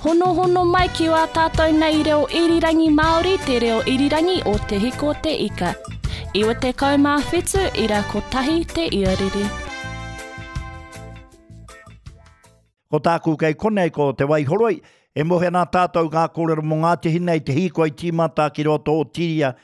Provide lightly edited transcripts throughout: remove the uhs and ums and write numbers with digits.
Honohono mai ki wā tātou nei reo irirangi Māori, te reo irirangi o Te Hiko Te Ika. 97 ira kotahi te iarere. Ko tāku kei konei ko Te Waihoroi, e mohe ana tātou ngā kōrero mō Ngāti Hine i te hīkoi tīmata ki roto o Tīria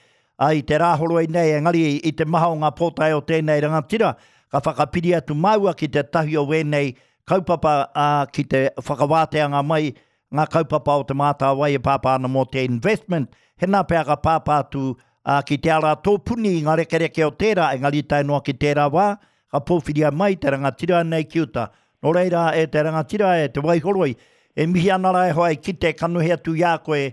i te Rāhoroi nei, engari i te maha o ngā pōtae o tēnei rangatira, ka whakapiri atu māua ki tētahi o wēnei kaupapa, ā, ki te whakawāteanga mai ngā kaupapa o Te Mātāwai e pāpā ana mō te investment, hena pea ka pāpā atu, ā, ki te ara tōpuni i ngā rekereke o tērā, engari tae noa ki tērā wā, ka pōwhiria mai te rangatira nei ki uta. Nō reira, e te rangatira, e Te Waihoroi, e mihi ana rā e hoa e kite kanohi atu i a koe,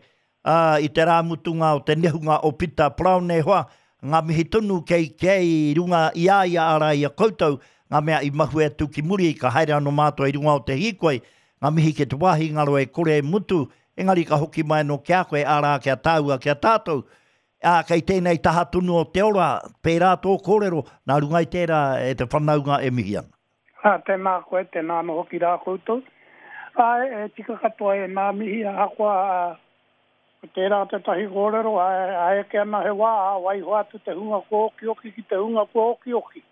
ā, i te rā mutunga o te nehunga o Pita Paraone e hoa, ngā mihi tonu kei kei runga i a ia arā i a koutou, ngā mea i mahue atu ki muri, ka haere anō mātou i runga o te hīkoi, ngā mihi ki te wāhi ngaro e kore e mutu, engari ka hoki mai anō ki a koe, arā, ki a tāua, ki a tātou. Ā, kei tēnei taha tonu o te ora, pērā tō kōrero, nā runga i tērā e te whanaunga e mihi ana. Ā, tēnā koe, tēnā anō hoki rā koutou. Āe, e tika katoa ēnā mihi, ahakoa, ā, ko tērā tētahi kōrero, āe, ā eke ana he wā, ā, waiho atu te hunga kua okioki ki te hunga kua okioki.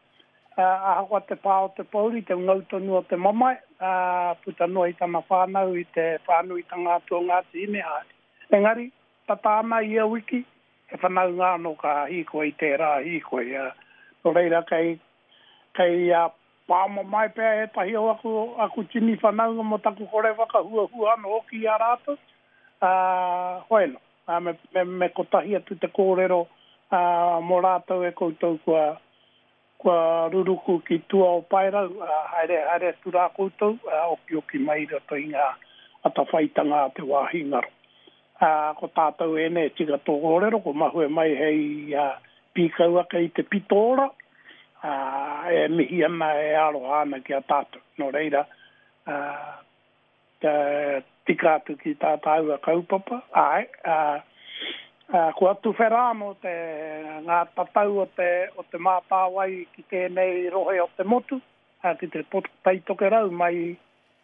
Ā, ahakoa te pā o te pōuri, te ngau tonu o te mamae, ā, puta noa i tana whānau, i te whānuitanga atu o Ngāti Hine, āe. Engari, tata ana ia wiki, he whanaunga anō ka hīkoi i tērā hīkoi, ā, nō reira kei, Kei a pāmamae pea ētahi o aku, aku tini whanaunga mō taku kore whakahuahua anō hoki i a rātou, ā, hoeno, ā, me, me, me kotahi atu te kōrero, ā, mō rātou e koutou kua, kua ruruku ki tua o Paerau, ā, haere, haere atu rā koutou, ā, okioki mai i roto i ngā atawhaitanga a te wāhi ngaro. Ā, ko tātou ēnei e tika tō kōrero, ko mahue mai hei, ā, pīkau ake i te pito ora, ā, e mihi ana, e aroha ana ki a tātou. Nō reira, ā, kia tika atu ki tā tāua kaupapa, āe, ā, ā, kua tuwhera anō te, ngā tatau o te, o Te Mātāwai ki tēnei rohe o te motu, ā, ki te Tai Tokerau mai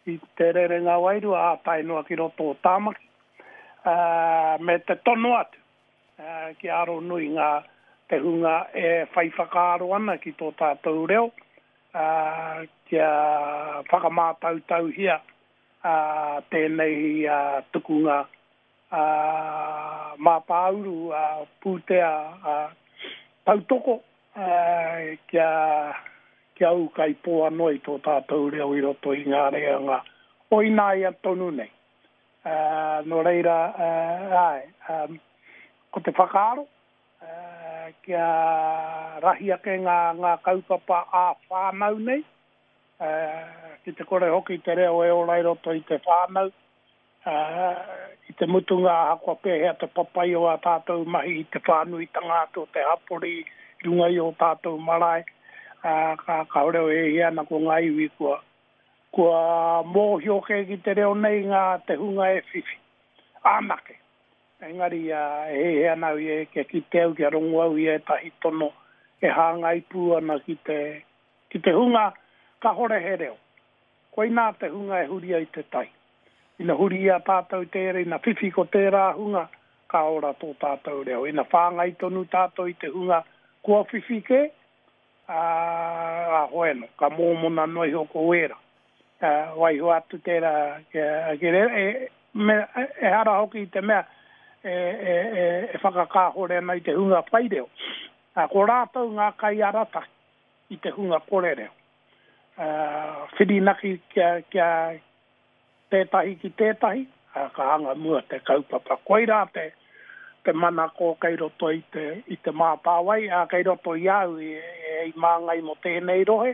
i te rerenga wairua, ā, tae noa ki roto o Tāmaki, ā, me te tono atu kia aro nui ngā, te hunga e whai whakaaro ana ki tō tātou reo, ā, kia whakamātautauhia tēnei tukunga mātāuru, pūtea tautoko kia, kia ūkaipō anō i tō tātou reo i roto i ngā reanga o ināia tonu nei. Nō reira, āe, ko te whakaaro, kia rahi ake ngā, ngā kaupapa ā-whānau nei, ki te kore hoki te reo e ora i roto i te whānau, i te mutunga ahakoa pēhea te papai o ā tātou mahi i te whānuitanga atu o te hapori i runga i ō tātou marae, ā, ka, kāore e hia ana ko ngā iwi kua, kua mōhio kē ki te reo nei ngā te hunga e whiwhi anake. Engari, e hiahia ana au ia kia kite au, kia rongo au i ētahi tono e hāngai pū ana ki te, ki te hunga kahore he reo. Koinā te hunga e huri ai te tai. Ina huri i a tātou tērā, ina whiwhi ko tērā hunga, ka ora tō tātou reo. Ina whāngai tonu tātou i te hunga kua whiwhi kē, ā, ā, hoeno, ka mōmona noa iho ko wēra. Ā, waiho atu tērā kia, kia rere, e, me, ehara hoki i te mea e, e, e, e whakakāhore ana i te hunga whai reo. Ā, ko rātou ngā kaiarataki i te hunga kore reo. Ā, whirinaki kia, kia, tētahi ki tētahi, ā, ka anga mua te kaupapa. Koirā te, te manako kei roto i te, i Te Mātāwai, ā, kei roto i a au i, i māngai mō tēnei rohe,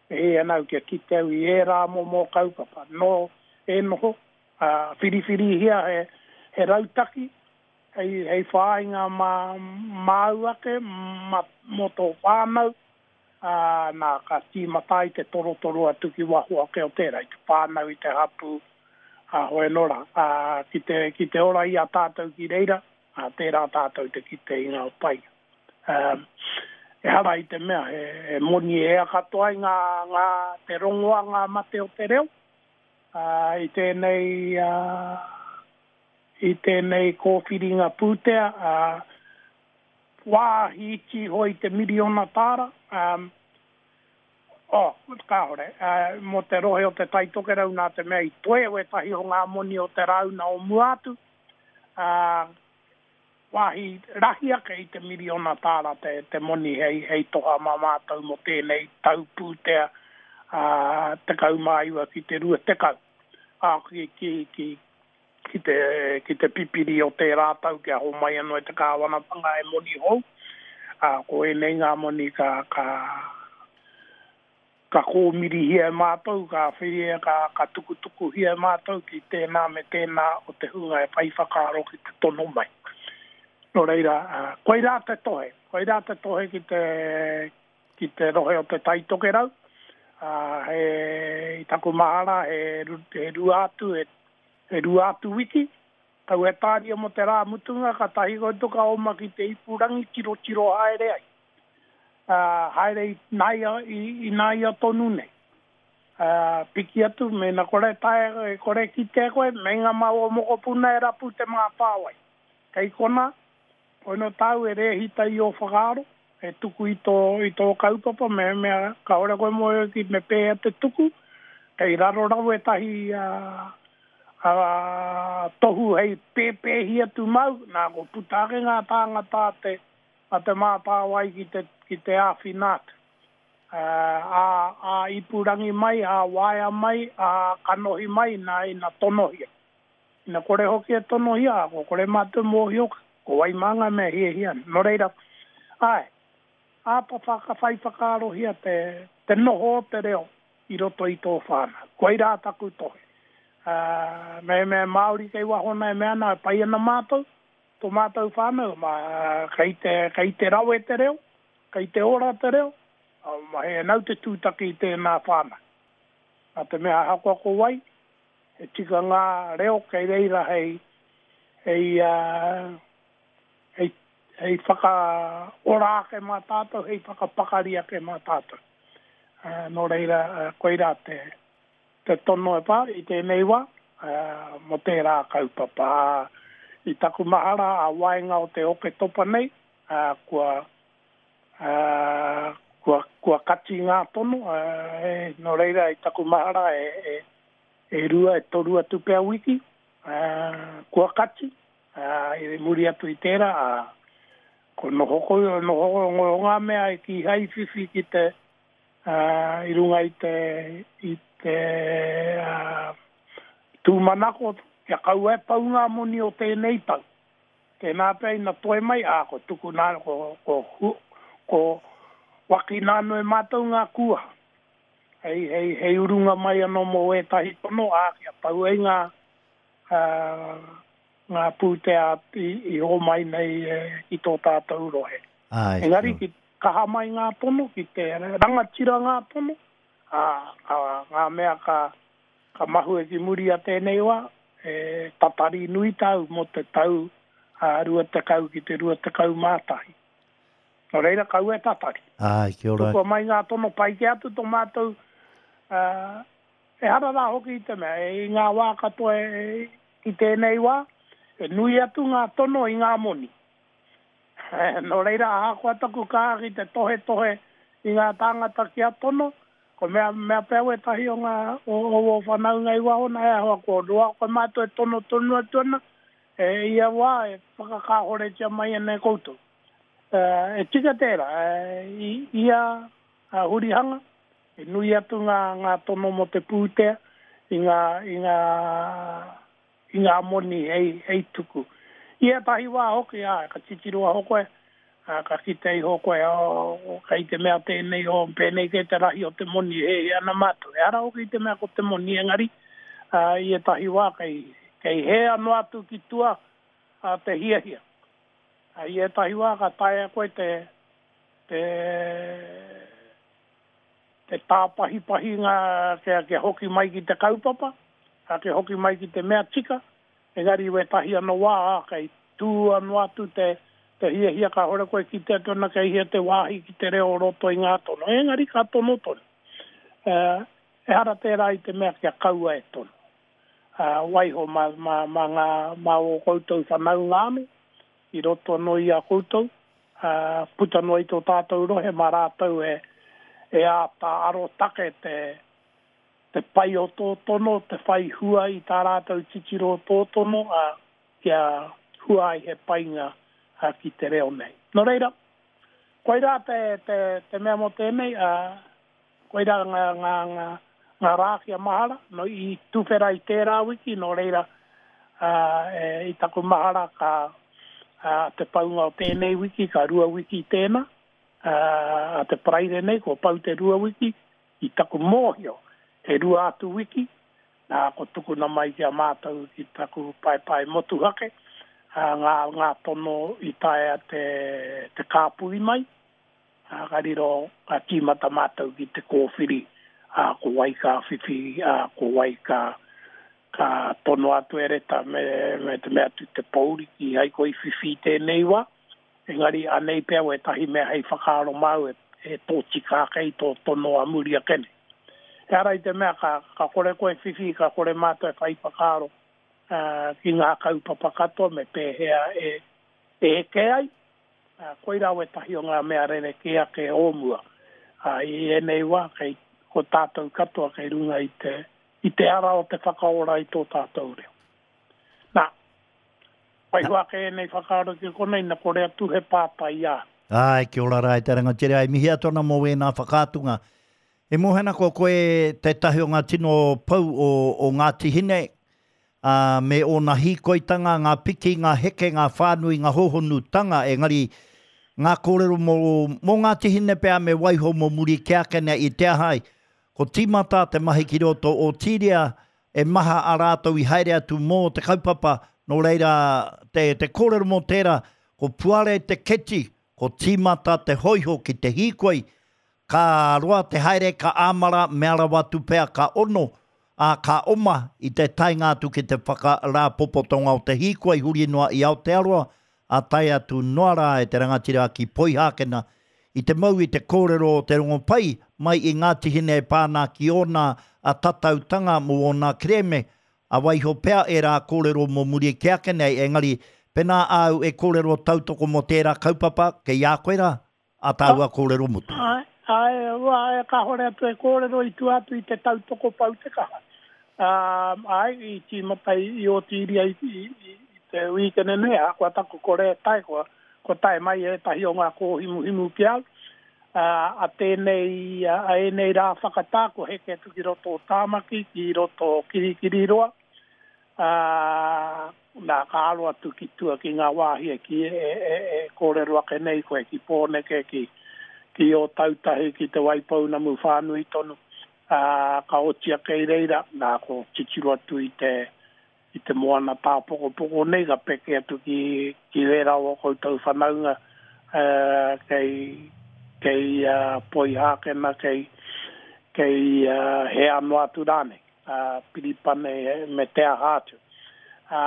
e hē ana au kia kite au i ērā momo kaupapa. Nō e noho, ā, whiriwhirihia he, he rautaki hei, hei whāinga mā, māu ake, mā, mō tō whānau, ā, nā, ka tīmata ai te torotoro atu ki waho ake o tērā, i te whānau, i te hapū, ā, hoi anō rā, ā, ki te, ki te ora i a tātou ki reira, ā, tērā tātou te kite i ngā painga. Ā, ehara i te mea he, he moni e ea katoa ai ngā, ngā, te rongoa ngā mate o te reo, ā, i tēnei, ā. i tēnei kōwhiringa pūtea, ā, wāhi iti iho i te miriona tāra, ā, oh, kāore, ā, mō te rohe o Te Tai Tokerau nā te mea i toe wētahi o ngā moni o te rāuna o mua atu, ā, wāhi rahi ake i te miriona tāra te, te moni hei, hei toha mā mātou mō tēnei tau pūtea, ā, 19 ki te 20, ā, ki, ki, ki, ki te, ki te pipiri o tērā tau kia homai anō e te kāwanatanga he moni hou, ā, ko ēnei ngā moni ka, ka, ka kōmirihia e mātou, ka whiria, ka, ka tukutukuhia e mātou ki tēnā me tēnā o te hunga e whai whakaaro ki te tono mai. Nō reira, ā, koirā te tohe, koirā te tohe ki te, ki te rohe o Te Tai Tokerau, ā, he, i taku mahara, he, he rua atu, he, he rua atu wiki, kaua e tāria mō te rā mutunga, kātahi koutou ka oma ki te ipurangi tirotiro haere ai. Ā, haere i nāia, i, i nāia tonu nei. Ā, piki atu, mēnā kore taea, e kore kitea koe, meinga mā ō mokopuna e rapu te mātāwai. Kei konā, Koinā tāu e rēhita i ō whakaaro, e tuku i tō, i tō kaupapa, mehemea kāore koe mōhio ki me pēhea te tuku, kei raro rawa ētahi ā, tohu hei pēpēhi atu māu, nā, kua puta ake ngā tāngata a te, a Te Mātāwai ki te, ki te āwhina atu. Ā, ā-ipurangi mai, ā-waea mai, ā-kanohi mai, nā, ina tonohia. Ina kore hoki e tonohia, kua kore mātou mōhio ko wai mā ngā mea hiahia ana. Nō reira, āe, āta whai whakaarohia te, te noho o te reo i roto i tō whānau. Koirā taku tohe. Ā, mehemea he Māori kei waho nei e mea ana, e pai ana mātou, tō mātou whānau, mā, kei te, kei te rawe te reo, kei te ora te reo, ā, he nau te tūtaki i tēnā whānau. Nā te mea ahakoa ko wai, He tika ngā reo kei reira hei, hei, hei, hei whakaora ake mā tātou, hei whakapakari ake mā tātou. Nō reira, koirā te, te tono e pā i tēnei wā, mō tērā kaupapa. I taku mahara a waenga o te Oketopa nei, kua, kua, kua kati ngā tono, nō reira i taku mahara e, e, E rua, e toru atu pea wiki, ā, kua kati, ā, i muri atu i tērā, ā, ko noho ko, noho ko ngā mea i kīhai i whiwhi ki te, ā, i runga i te, i te, ā, tūmanako kia kaua e pau ngā moni o tēnei tau. Tēnā pea ina toe mai, ā, ko tukuna, ko, ko, ko wakina anō e mātou ngā kūaha. Hei, hei, hei urunga mai anō mō ētahi tono, ā, kia pau ai ngā, ā, ngā pūtea i, i hōmai nei ki tō tātou rohe. Āe, Engari, ki kaha mai ngā tono, ki te rangatira ngā tono, ā, ka, ngā mea ka, ka mahue ki muri a tēnei wā, e tatari nui tāu mō te tau, ā, 20 ki te 21. Nō reira, kaua e tatari. Āe, kia ora. Tukua mai ngā tono pai kē atu tō mātou, ā, ehara rā hoki i te mea, i ngā wā katoa e, i tēnei wā, he nui atu ngā tono i ngā moni. Nō reira, ahakoa taku kaha ki te tohetohe i ngā tāngata kia tono, ko mea, mea pea wētahi o ngā, o, o ō whanaunga i waho nā, he aha kua roa koe mātou e tono tonu atu ana, e ia wā e whakakāhoretia mai ana e koutou. E tika tērā, i ia hurihanga, he nui atu ngā, ngā tono mō te pūtea i ngā, i ngā, i ngā moni hei, hei tuku. I ētahi wā hoki, āe, ka titiro aho koe, ā, ka kite iho koe, oh, kei te mea tēnei, oh, pēnei kē te rahi o te moni e hiahia ana mātou. Ehara hoki i te mea ko te moni, engari, ā, i ētahi wā kei, kei hē anō atu ki tua, ā, te hiahia. I ētahi wā ka taea koe te, te, te tāpahipahi ngā, kia, kia hoki mai ki te kaupapa, kia hoki mai ki te mea tika, engari i wētahi anō wā, ā, kei tū anō atu te, te hiahia kāore koe kite atu ana kei hea te wāhi ki te reo o roto i ngā tono, engari ka tono tonu. Ehara tērā i te mea kia kaua e tono. Waiho mā, mā, mā ngā, mā ō koutou whanaunga anō, i roto anō i a koutou, ā, puta noa i tō tātou rohe, mā rātou e, e āta arotake te, te pai o tō tono, te whai hua i tā rātou titiro o tō tono, ā, kia hua ai he painga ki te reo nei. Nō reira, koirā te, te, te mea mō tēnei, ā, koirā ngā, ngā, ngā, ngā rā kia mahara, nō, i tuwhera i tērā wiki, nō reira, ā, e, i taku mahara ka, ā, te paunga o tēnei wiki, ka rua wiki tēnā, ā, a te Paraire nei, kua pau te rua wiki, i taku mōhio, he rua atu wiki, Nā, ko tukuna mai ki a mātou ki taku paepae motuhake, ā, ngā, ngā tono i taea te, te kāpui mai, ā, ka riro, ka tīmata mātou ki te kōwhiri, ā, ko wai ka whiwhi, ā, ko wai ka, ka tono atu e reta me, me te mea atu te pōuri kīhai koe i whiwhi i tēnei wā. Engari, anei pea wētahi mea hei whakaaro māu e, e tōtika ake i tō tono a muri ake nei. Ehara i te mea ka, ka kore koe whiwhi, ka kore mātou e whai whakaaro ki ngā kaupapa katoa me pēhea e, e eke ai. Koirā wētahi o ngā mea rerekē ake o mua. I ēnei wā, kei, ko tātou katoa kei runga i te, i te ara o te whakaora i tō tātou reo. Nā, Waiho ake ēnei whakaaro ki konei, na kore atu he pātai i a au. Āe, kia ora rā e te rangatira, e mihi atu ana mō wēnā whakaatunga. E moe ana ko koe tētahi o ngā tino pou o, o Ngāti Hine, ā, me ōna hīkoitanga, ngā piki, ngā heke, ngā whānui, ngā hōhonutanga, engari ngā kōrero mō, mō Ngāti Hine pea me waiho mō muri kē ake nei i te aha ai. Ko tīmata te mahi ki roto o Tīria, E maha a rātou i haere atu mō te kaupapa, nō reira te, te kōrero mō tērā, ko puare te keti, ko tīmata te hōiho ki te hīkoi, ka roa te haere, ka āmara, mea rawa atu pea ka ono, ā, ka oma i te taenga atu ki te whakarāpopotonga o te hīkoi huri noa i Aotearoa, ā, tae atu noa rā e te rangatira ki Poihākena, i te mau i te kōrero o te Rongopai mai i Ngāti Hine e pā ana ki ōna tatautanga mō ōna kerēme, ā, waiho pea ērā kōrero mō muri kē ake nei, engari, pēnā āu e kōrero tautoko mō tērā kaupapa, kei a koe rā? A tāua kōrero mutu. Āe, āe, āe, kāhore atu e kōrero i tua atu i te tautoko pau te kaha. Āe, i tīmata i Ōtīria i, i, i te wīkene nei, ahakoa taku kore e tae, kua, kua tae mai ētahi o ngā kōhimuhimu ki au. Ā, a tēnei, a ēnei rā whakatā, kua heke atu ki roto o Tāmaki, ki roto o Kirikiriroa, Ā, nā, ka aro atu ki tua ki ngā wāhi e kī, e, e, e kōrero ake nei koe ki Pōneke, ki, ki Ōtautahi, ki Te Waipounamu whānui tonu, ā, ka oti ake i reira, nā, ko titiro atu i te, i te moana tāpokopoko nei, ka peke atu ki, ki wērā o ō koutou whanaunga, ā, kei, kei, ā, Poihākena, kei, kei, ā, hea noa atu rānei. a Piripane me te aha atu. Ā,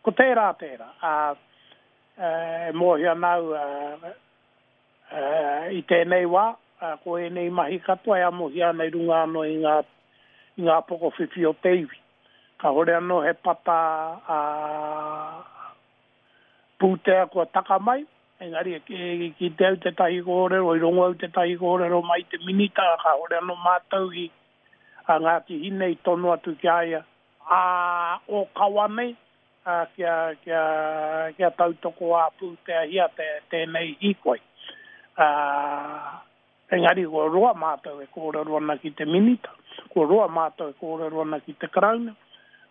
ko tērā tērā. Ā, e mōhio ana au, ā, i tēnei wā, ko ēnei mahi katoa e amohia ana i runga anō i ngā, i ngā pokowhiwhi o te iwi. Kāore anō he pata, ā, pūtea kua taka mai, engari i kite au tētahi kōrero, i rongo au tētahi kōrero mai i te Minita, kāore anō mātou i, a Ngāti Hine i tono atu ki a ia, ā, ōkawa nei, ā, kia, kia, kia tautoko ā-pūteahia te, tēnei hīkoi. Ā, engari kua roa mātou e kōrero ana ki te Minita, kua roa mātou e kōrero ana ki te Karauna,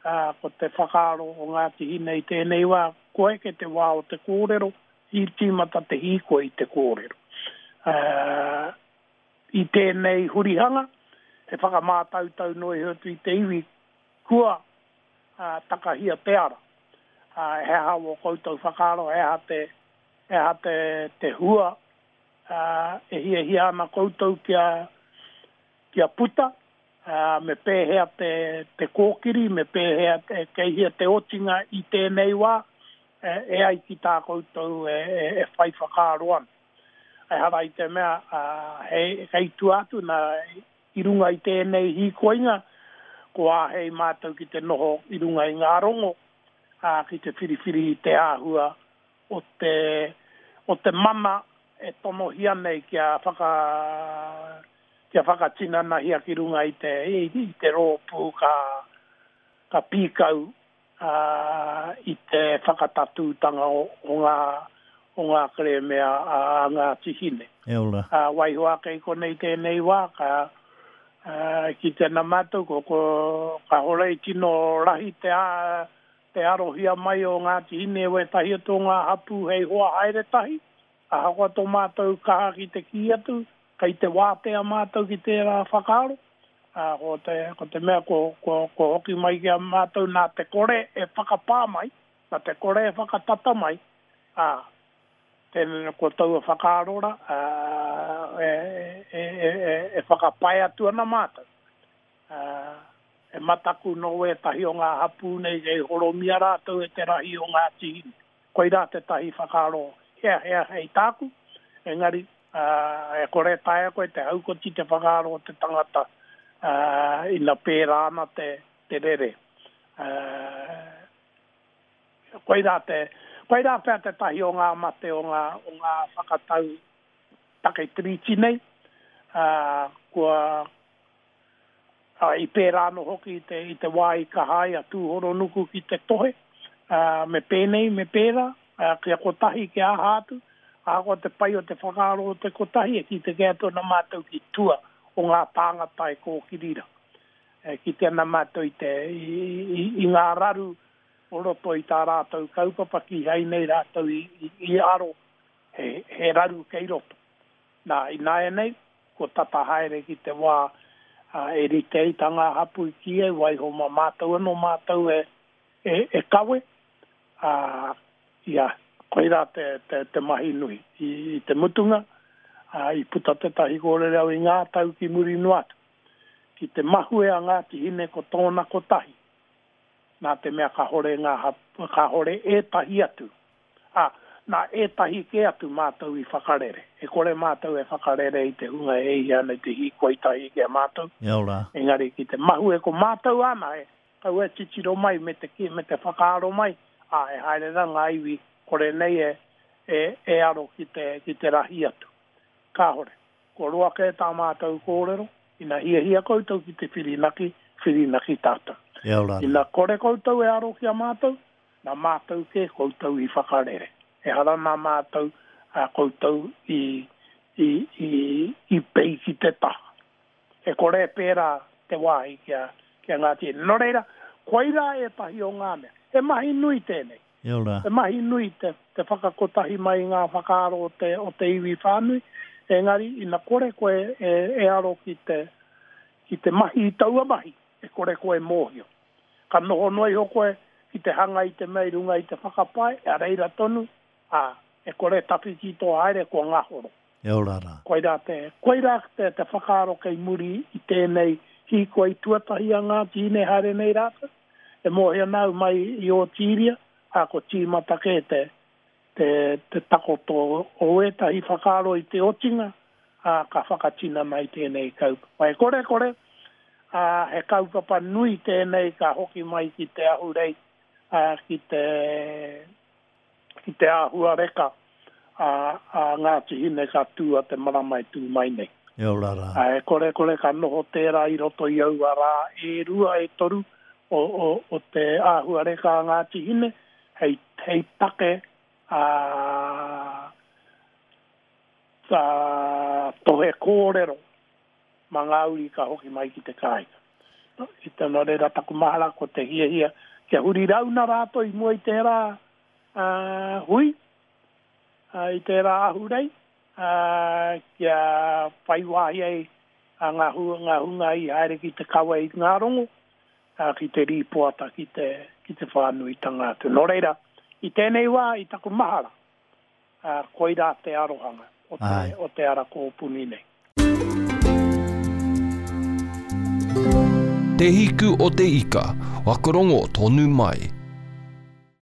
ā, ko te whakaaro o Ngāti Hine i tēnei wā, kua eke te wā o te kōrero, i tīmata te hīkoi i te kōrero. Ā, I tēnei hurihanga, he whakamātautau noa iho atu i te iwi kua takahia te ara. He aha wō koutou whakaaro, he aha te, he aha te, te hua e hiahia ana koutou kia, kia puta, me pēhea te, te kōkiri, me pēhea, kei hea te otinga i tēnei wā, e ai ki tā koutou e, e whai whakaaro ana. Ehara i te mea, hei, kei tua atu nā, i runga i tēnei hīkoinga, Kua āhei mātou ki te noho i runga i ngā rongo, ā, ki te whiriwhiri i te āhua o te, o te mana e tonohia nei kia whaka, kia whakatinanahia ki runga i te, i te rōpū ka, ka pīkau, ā, i te whakatatūtanga o, o ngā, o ngā kerēme a, a Ngāti Hine. E ora. Ā, waiho ake i konei tēnei wā, ka, ā, kite ana mātou, ko, ko, kāore i tino rahi te, ā, te arohia mai o Ngāti Hine e wētahi atu o ngā hapū hei hoa haere tahi, ahakoa tō mātou kaha ki te kī atu, kei te wātea mātou ki tērā whakaaro, ā, ko te, ko te mea ko, ko, ko hoki mai ki a mātou nā te kore e whakapā mai, nā te kore e whakatata mai, ā, tēnei, ko taua whakaaro rā, ā, e, e, e, e, e whakapae atu ana mātou. Ā, he mataku nō wētahi o ngā hapū nei kei horomia rātou e te rahi o Ngāti Hine. Koirā tētahi whakaaro heahea hei tāku, engari, ā, e kore e taea koe te haukoti te whakaaro o te tangata, ā, ina pērā ana te, te rere. Ā, koirā te, koirā pea tētahi o ngā mate o ngā, o ngā whakatau take Tiriti nei, ā, kua, Ā, i pērā anō hoki i te, i te wā i kaha ai a Tūhoronuku ki te tohe, ā, me pēnei, me pērā, ā, kia kotahi, kia aha atu, ahakoa te pai o te whakaaro o te kotahi, e kite kē atu ana mātou ki tua o ngā tāngata e kōkiri rā. E kite ana mātou i te, i, i, i ngā raru o roto i tā rātou kaupapa, kīhai nei rātou i, i, i aro he, he raru kei roto. Nā, ināianei, kua tata haere ki te wā e rite ai tā ngā hapū i kī ai, waiho mā mātou anō mātou e, e, e kawe, ā, ia, koirā te, te, te mahi nui. I, i te mutunga, ā, i puta tētahi kōrero i ngā tau ki muri noa atu, ki te mahue a Ngāti Hine ko tōna kotahi, nā te mea kāore ngā hapū, kāore ētahi atu Ā, nā ētahi kē atu mātou i whakarere. E kore mātou e whakarere i te hunga e hia ana i te hīkoi tahi ki a mātou, Kia ora. engari ki te mahue ko mātou anahe, kaua e titiro mai me te kī, me te whakaaro mai, ā, e haere rā ngā iwi kore nei e, e, e aro ki te, ki te rahi atu. Kāore. Kua roa kē tā mātou kōrero, ina hiahia koutou ki te whirinaki, whirinaki tātou. Kia ora. Ina kore koutou e aro ki a mātou, Nā mātou kē koutou i whakarere. Ehara nā mātou a koutou i, i, i, i pei ki te taha. E kore e pērā te wāhi ki a, ki a Ngāti Hine. Nō reira, koirā ētahi o ngā mea. He mahi nui tēnei. Kia ora. He mahi nui te, te whakakotahi mai i ngā whakaaro o te, o te iwi whānui, engari ina kore koe e, e aro ki te, ki te mahi i taua mahi, e kore koe e mōhio. Ka noho noa iho koe ki te hanga i te mea i runga i te whakapae, a reira tonu, ā, e kore e tawhiti tō haere, kua ngahoro. E ora rā. Koirā te, koirā te, te whakaaro kei muri i tēnei hīkoi tuatahi a Ngāti Hine haere nei rātou. E mōhio ana au mai i Ōtīria, ā, ko tīmata kē te, te, te takoto o ētahi whakaaro i te otinga, ā, ka whakatinana i tēnei kaupapa. E korekore, ā, he kaupapa nui tēnei ka hoki mai ki te ahurei, ā, ki te, ki te āhuareka a, a Ngāti Hine ka tū a te marama e tū mai nei. E ora rā. Ā, e korekore ka noho tērā i roto i aua rā e rua, e toru o, o, o te āhuareka a Ngāti Hine, hei, hei take, ā, ā, tohe kōrero mā ngā uri ka hoki mai ki te kāinga. I te, nō reira taku mahara ko te hiahia kia huri rauna rātou i mua i tērā, ā, hui, ā, i tērā ahurei, ā, kia whai wāhi ai ngā, ngā hunga i haere ki te kawe i ngā rongo, ā, ki te rīpoata ki te, ki te whānuitanga atu. Nō reira, i tēnei wā, i taku mahara, ā, koirā te arohanga o te, Āe. o te ara kōpuni nei. Te Hiku o te Ika, whakarongo tonu mai.